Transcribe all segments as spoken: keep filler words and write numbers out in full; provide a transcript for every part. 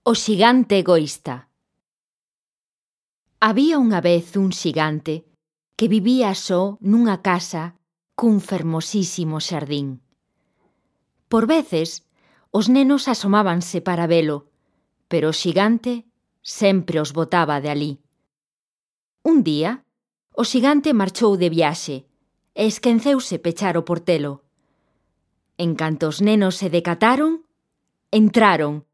O xigante egoísta. Había unha vez un xigante que vivía só nunha casa cun fermosísimo xardín. Por veces, os nenos asomábanse para velo, pero o xigante sempre os botaba de alí. Un día, o xigante marchou de viaxe e esquenceuse pechar o portelo. En canto os nenos se decataron, entraron.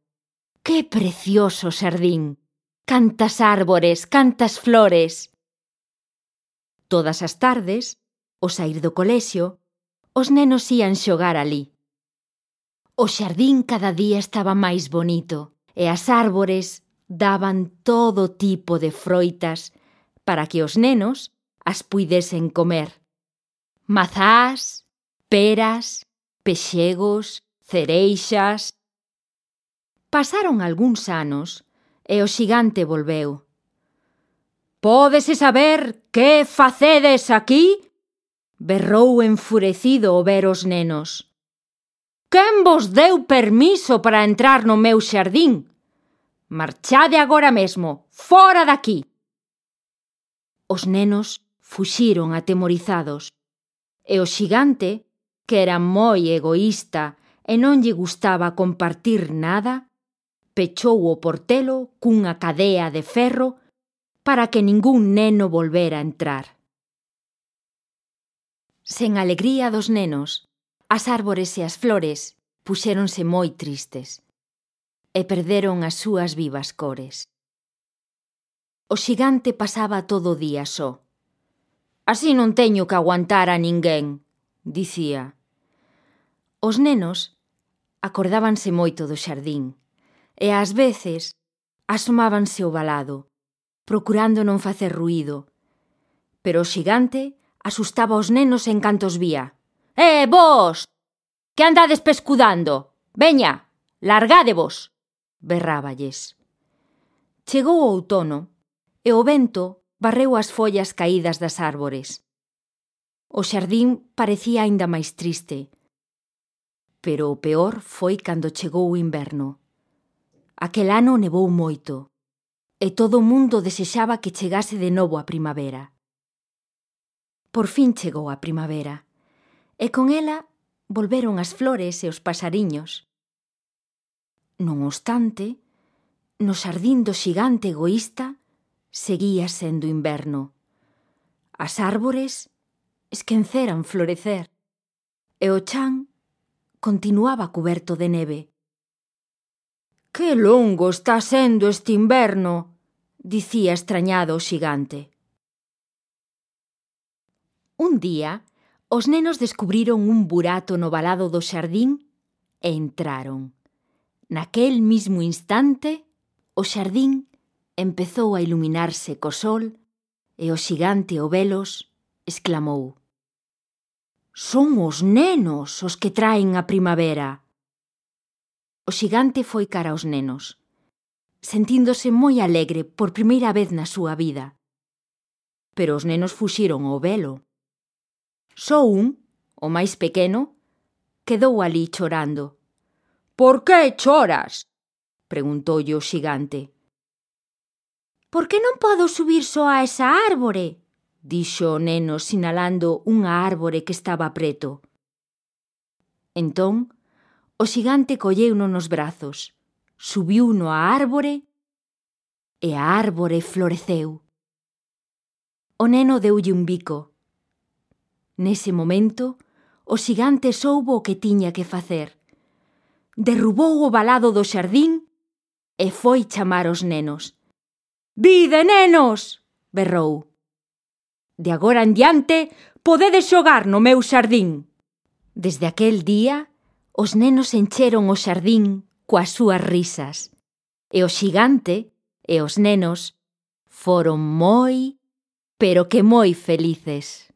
¡Que precioso xardín! Cantas árbores, cantas flores! Todas as tardes, ao saír do colexio, os nenos ían xogar alí. O xardín cada día estaba máis bonito e as árbores daban todo tipo de froitas para que os nenos as puidesen comer. Mazás, peras, pexegos, cereixas... Pasaron algúns anos e o xigante volveu. «Pódese saber que facedes aquí?» berrou enfurecido ao ver os nenos. «Quen vos deu permiso para entrar no meu xardín? Marchade agora mesmo, fora daqui!» Os nenos fuxiron atemorizados e o xigante, que era moi egoísta e non lle gustaba compartir nada, pechou o portelo cunha cadea de ferro para que ningún neno volvera a entrar. Sen alegría dos nenos, as árbores e as flores puxéronse moi tristes e perderon as súas vivas cores. O xigante pasaba todo o día só. «Así non teño que aguantar a ninguén», dicía. Os nenos acordábanse moito do xardín e ás veces asomábanse ao valado, procurando non facer ruído. Pero o xigante asustaba os nenos en canto os vía. «Eh, vós! Que andades pescudando? Veña, largádevos!» berráballes. Chegou o outono e o vento barreu as follas caídas das árbores. O xardín parecía aínda máis triste, pero o peor foi cando chegou o inverno. Aquel ano nevou moito, e todo o mundo desexaba que chegase de novo a primavera. Por fin chegou a primavera, e con ela volveron as flores e os pasariños. Non obstante, no xardín do xigante egoísta seguía sendo inverno. As árbores esquenceran florecer, e o chan continuaba cuberto de neve. «Que longo está sendo este inverno», dicía extrañado o xigante. Un día, os nenos descubriron un burato no valado do xardín e entraron. Naquel mismo instante, o xardín empezou a iluminarse co sol e o xigante ao velos exclamou: «Son os nenos os que traen a primavera!» O xigante foi cara aos nenos, sentíndose moi alegre por primeira vez na súa vida. Pero os nenos fuxiron ao velo. Só un, o máis pequeno, quedou alí chorando. «Por que choras?» preguntoulle o xigante. «Por que non podo subir só a esa árbore?» dixo o neno sinalando unha árbore que estaba preto. Entón, o xigante colleuno nos brazos, subiuno á árbore e a árbore floreceu. O neno deulle un bico. Nese momento, o xigante soubo o que tiña que facer. Derrubou o valado do xardín e foi chamar os nenos. «Vide, nenos!» berrou. «De agora en diante podedes xogar no meu xardín!» Desde aquel día, os nenos encheron o xardín coas súas risas, e o xigante e os nenos foron moi, pero que moi felices.